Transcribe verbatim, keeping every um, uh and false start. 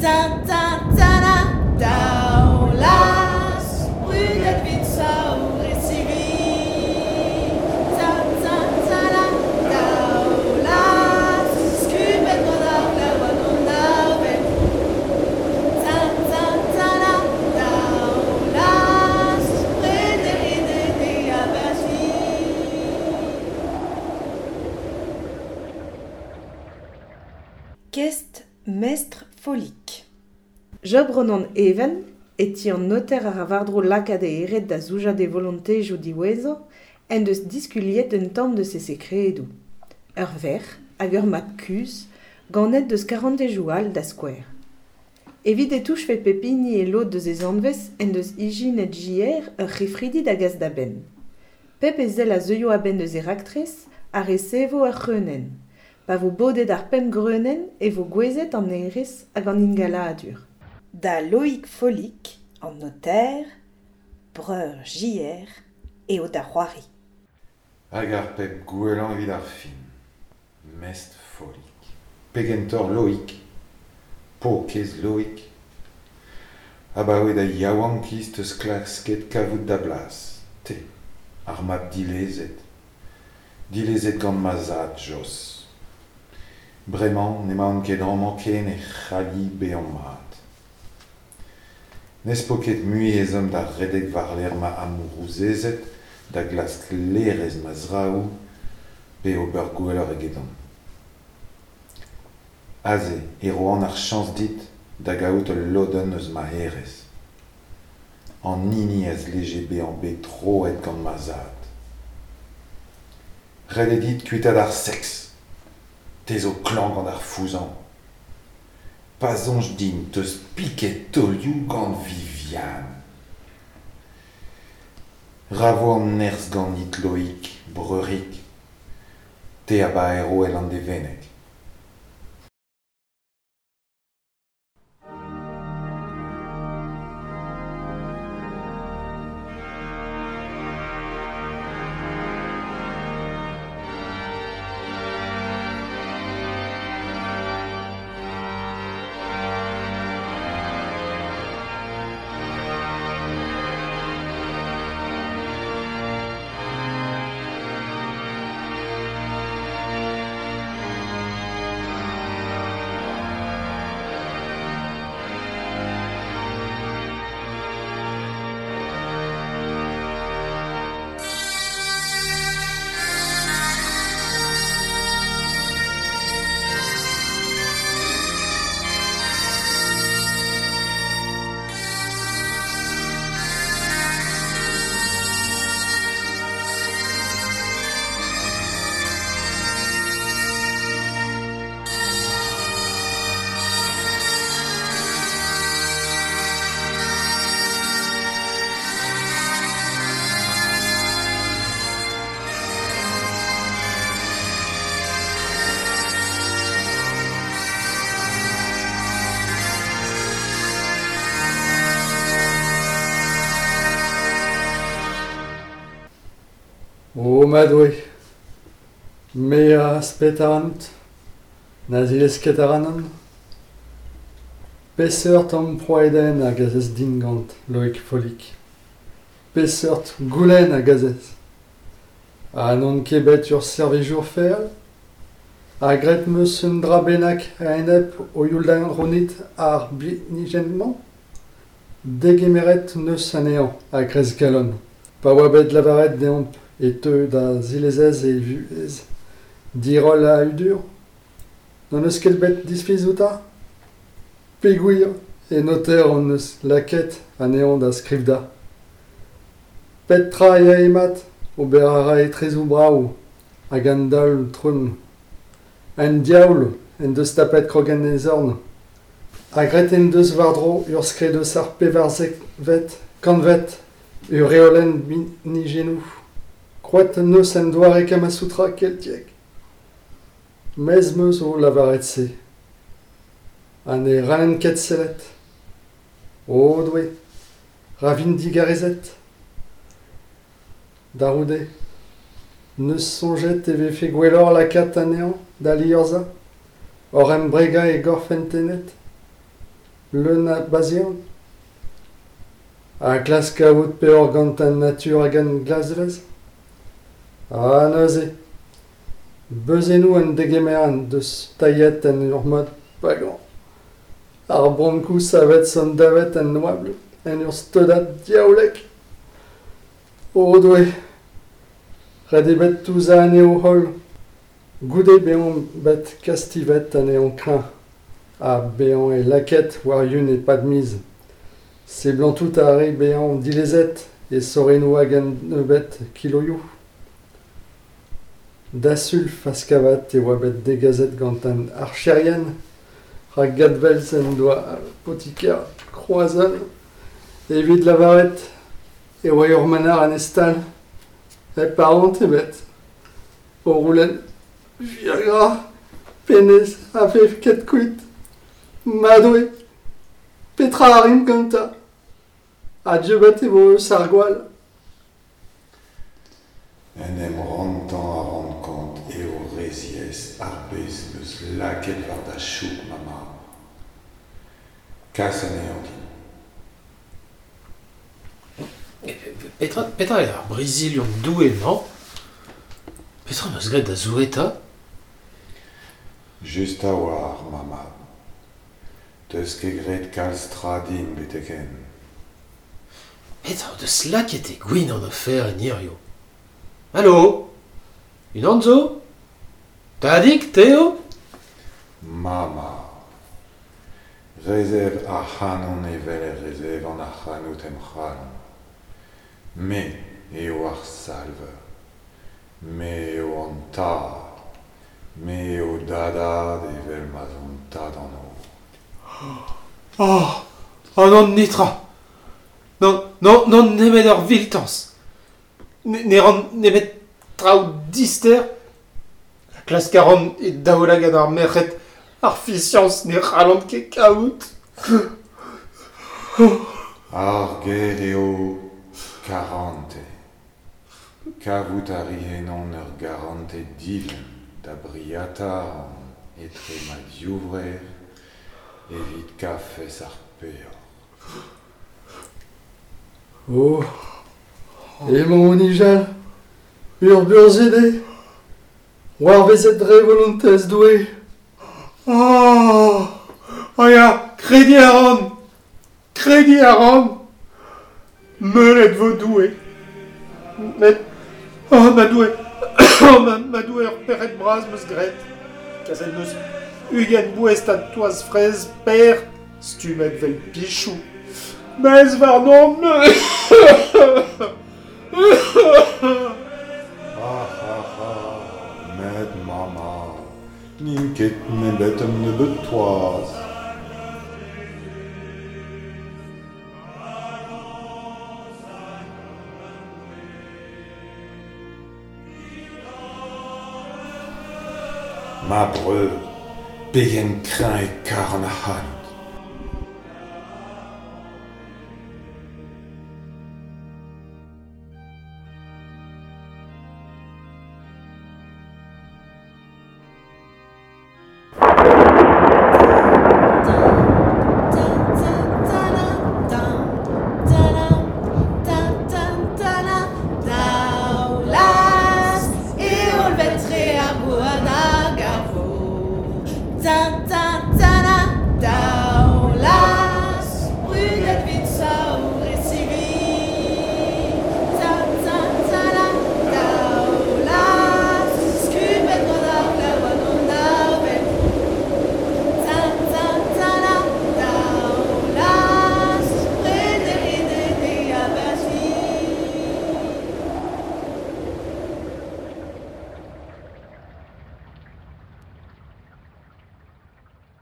Ta ta ta la, Daoulaz, brudet 'vit saour e sivi. Ta ta ta la, Daoulaz, skubet gant ar glav hag an avel. Ta ta ta la, Daoulaz, prederiet e abati. Kest mestr Follig. Job Ronan Even, e ti an noter a ra war-dro lakaat e hêred da zoujañ d'e volontezioù diwezhañ, en deus diskuliet un tamm deus e sekredoù. Ur verc'h hag ur mab kuzh, ganet deus karantezioù all da skouer. Evit e touchfe pep hini e lod deus e zanvez en deus ijinet J R ur c'hefridi da gas da benn. Pep ezel a zeuio a-benn deus e raktres a resevo ur c'hreunenn. Pa vo bodet ar pemp greunenn e vo gouezet an hêrezh hag an ingaladur. Da Loïc Follig, an noter, breur J R, eo da c'hoari. Hag ar pep gwellañ evit ar fin. Mestr Follig. Pegentoc'h Loïc. Paourkaezh Loïc. Abaoe da yaouankiz 'teus klasket kavout da blas. Te, ar mab dilezet. Dilezet gant ma zad, Jos. Bremañ n'emaon ket amañ ken e c'halli bezañ mat. N'ez po ket mui ezhomm da redek war-lerc'h ma amourouzezed, da glask laerezh ma zraoù, pe ober gwelloc'h egedon. Aze e roan ar chañs dit da gaout ul lodenn eus ma hêrezh. An hini a zleje bezañ bet troet gant ma zad. Ret eo dit kuitaat ar seks. Te zo klañv gant ar fouzhañ. Pa soñj din 'teus piket taolioù gant Viviane. Ra vo an nerzh ganit Loïc, breurig. Te a baero e Landevenneg. O ma Doue, me a asped ac'hanout, na zilez ket ac'hanon. Peseurt amprouadenn a gasez din gant Loïc Follig ? Peseurt goulenn a gasez ? Ha n'on ket bet ur servijour feal ? Ha graet 'm eus un dra bennak a-enep ho youl da c'hounit ar binijenn-mañ ? Degemeret 'neus anezhañ a-greiz kalon, pa oa bet lavaret deomp e teu da zilezez e vuhez diroll ha hudur. N'hon eus ket bet disfiz outañ ? Peogwir e noter hon eus lakaet anezhañ da skrivañ. Pep tra a yae mat, ober a rae tresoù brav hag an daol trumm. An diaoul en deus tapet krog en e zorn. Ha graet en deus war-dro ur skrid eus ar pevarzekvet kantved, ur reolenn binijennoù. Krouet en deus un doare Kamasutra keltiek. Mezh 'm eus o lavaret se. Ha ne c'hallen ket sellet. O Doue, ra vin digarezet. Da c'houde, 'neus soñjet e vefe gwelloc'h lakaat anezhañ da liorzhañ, oc'h embregañ e gorf entenet. leun a bazian. Ha klask kaout peoc'h gant an natur hag an glasvez. Ha neuze, beuzennoù an degemer deus tailhet en ur mod pagan. Ar brankoù savet son davet en oabl en ur steudad diaoulek. O Doue, ret eo bet touzañ anezho holl. Goude bezañ bet kastivet anezhañ kreñv ha bezañ e lakaet war yun e-pad miz. Seblantout a rae bezañ dilezet e sorennoù hag un nebeud kiloioù. Da Sul Faskavat e oa bet degaset gant an archerien rak gadvelz en doa apotiker Kroazon evit lavaret e oa ur manac'h en e stal hep arc'hant ebet. O c'houlenn Viagra, pennez a vev ket kuit. Ma Doue, petra a rimp gantañ? Ha dieubet e vo eus ar gwall. En em rantañ a ran kont eo re ziaes ar pezh 'm eus lakaet war da chouk ma mab. Kas anezhañ din. Petra, petra eo ar brizhillion Doue-mañ? Petra 'm eus graet da Zoue 'ta? Just a-walc'h, ma mab. 'Teus ket graet kalz tra din betek-henn. Petra o deus lakaet e gwin an oferenn hiziv? Alo? Unan zo? Tadig, te eo? Ma mab. Resev ac'hanon evel e resevan ac'hanout em c'halon. Me eo ar Salver. Me eo an Tad. Me eo da dad evel ma'z on tad an holl. Oh, oh non, netra. Non, non, non nemet ur viltañs. Ne, ne ran nemet traoù dister. Klask a ran e daoulagad ar merc'hed ar fiziañs ne c'hallan ket kaout. Ar ger eo karantez. Kavout a ri ennon ur garantez divin da briata a ran etre ma divrec'h evit kafez ar peoc'h. Oh, emañ o nijal, ur burzhud eo. C'hoarvezet dre volontez Doue. Oh, oh ya, krediñ a ran, krediñ a ran. Meulet vo Doue. Met, oh ma Doue, oh ma, ma Doue, ur pec'hed bras 'm eus graet. Kaset 'm eus ugent boestad toaz fraezh per stummet 'vel pichoù. Mezh warnon. Ah ah ah, met ma mab, n'int ket nemet un nebeud toaz. Ma breur, pegen kreñv e karan ac'hanout.